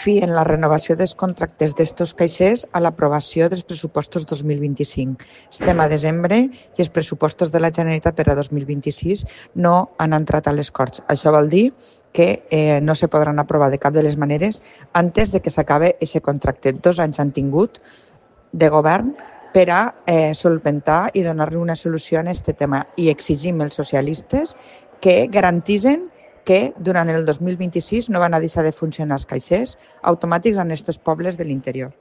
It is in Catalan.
fien la renovació dels contractes d'estos caixers a l'aprovació dels pressupostos 2025. Estem a desembre i els pressupostos de la Generalitat per a 2026 no han entrat a les Corts. Això vol dir que no se podran aprovar de cap de les maneres antes de que s'acabe aquest contracte. 2 anys han tingut de govern per a solventar i donar-li una solució a aquest tema. I exigim els socialistes que garantitzen que durant el 2026 no van a deixar de funcionar els caixers automàtics en aquests pobles de l'interior.